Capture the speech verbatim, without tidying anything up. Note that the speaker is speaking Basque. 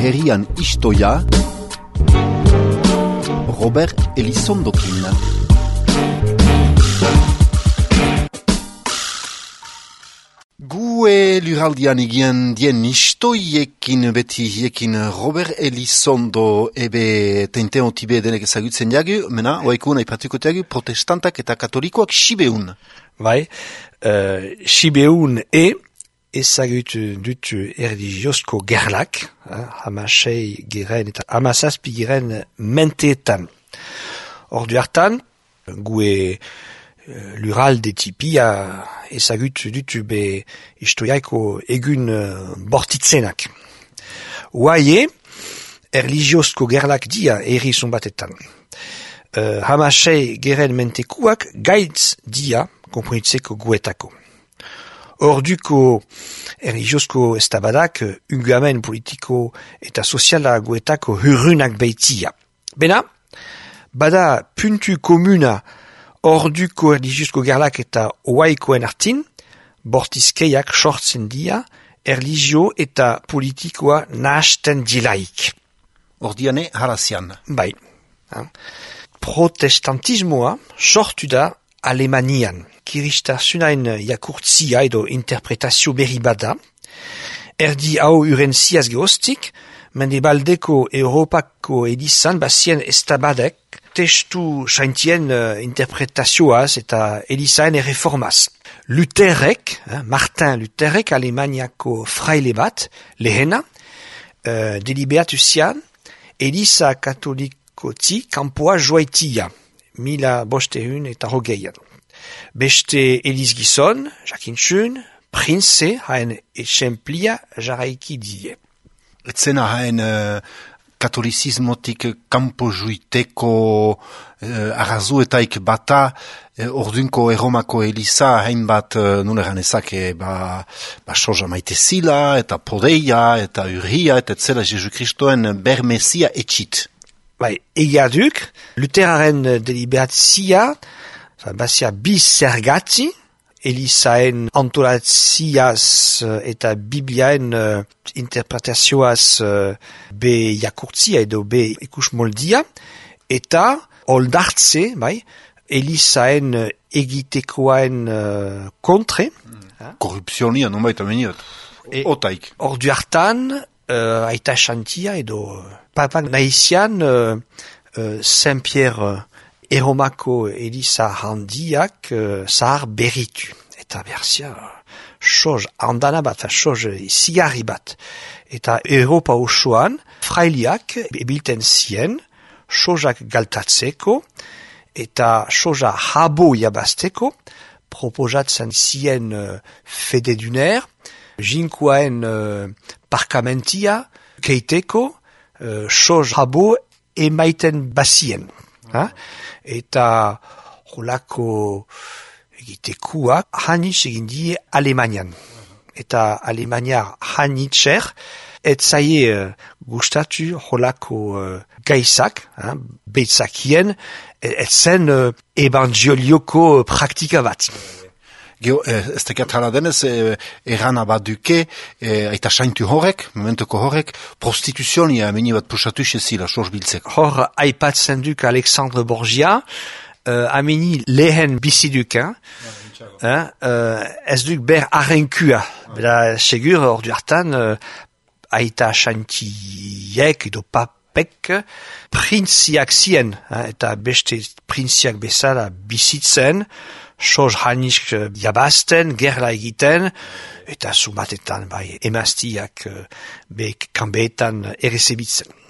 herrian istoia, Robert Elizondokin. Gue luraldian egien dien istoiekin beti hiekin Robert Elizondo ebe teinten otibe denek ezagutzen jagu, mena, oaikun aipatuko jagu, protestantak eta katolikoak Sibeun. Bai, uh, Sibeun e ezagutu dut erligiozko gerlak, eh, hamasei giren eta hamazazpi giren menteetan. Ordu hartan, gue uh, luralde tipia ezagutu dut be istoiaiko egun uh, bortitzenak. Oaie, erligiozko gerlak dia erri zonbatetan. Uh, hamasei giren mentekuak gaitz dia komprenitzeko guetako. Orduko erligiozko estabadak ugamen politiko eta soziala guetako hurunak beitia. Bena, bada puntu komuna orduko erligiozko gerlak eta oaikoen artin, bortizkeiak sortzen dia erligio eta politikoa nahasten dilaik. Ordiane harazian. Bai. Protestantismoa sortu da Alemanian. Kiristasunain jakurtzia edo interpretazio berri bada, erdi hau urentziaz gehostik, mendebaldeko Europako edizan bazien estabadek testu saintien uh, interpretazioaz eta edizaen erreformaz. Lutherrek, eh, Martin Lutherrek, Alemaniako fraile bat, lehena, uh, deliberatu zian, ediza katolikotzi kanpoa joaitia, mila bostehun eta hogeian. Beste Eliz Gizon, jakintxun, prince haen etxemplia jaraiki die. Etzena haen uh, katolisismotik kampo juiteko uh, arrazuetaik bata uh, ordunko erromako Eliza hainbat uh, nuleran ezake ba, ba soja maite zila eta podeia eta urria eta etzela Jesu Kristoen bermesia etxit. Bai, egia duk, Lutheraren deliberatzia bazia bis zergatzi, Elizaen antolatziaz eta Bibliaen uh, interpretazioaz uh, be jakurtzia edo be ikus moldia, eta oldartze, bai, Elizaen uh, egitekoaen uh, kontre. Mm. Korrupzionia, non baita meniot. Otaik. Ordu hartan, uh, aita xantia edo papak nahizian uh, uh, Saint-Pierre uh, Eromako Eliza handiak uh, zahar berritu. Eta berzia, soz handana bat, soz zigarri bat. Eta Europa osoan, frailiak ebilten zien, sozak galtatzeko, eta soza habo jabazteko, proposatzen zien uh, fededuner, jinkoaen uh, parkamentia, keiteko, uh, soz habo emaiten bazien. Ha? Eta holako egitekuak hanitz egin die Alemanian. Eta Alemaniar hanitzer et zaie uh, gustatu holako uh, gaizak, ha? Beitzakien, et zen uh, evangelioko praktika bat. Geo, ez tekat hala denez, eh, erana bat duke, eh, aita saintu horrek, momentuko horrek, prostituzionia meni bat pusatu xezila, soz biltzeko. Hor, aipatzen duk Alexandre Borgia, uh, ameni lehen biziduk, hein? Hein? Uh, ez duk ber arrenkua. Bela, segur, hor du hartan, uh, aita saintiek edo papek, printziak zien, hein? Eta beste printziak bezala bizitzen, soz hanisk jabazten, gerla egiten, eta sumatetan bai emaztiak be kanbeetan errezebitzen.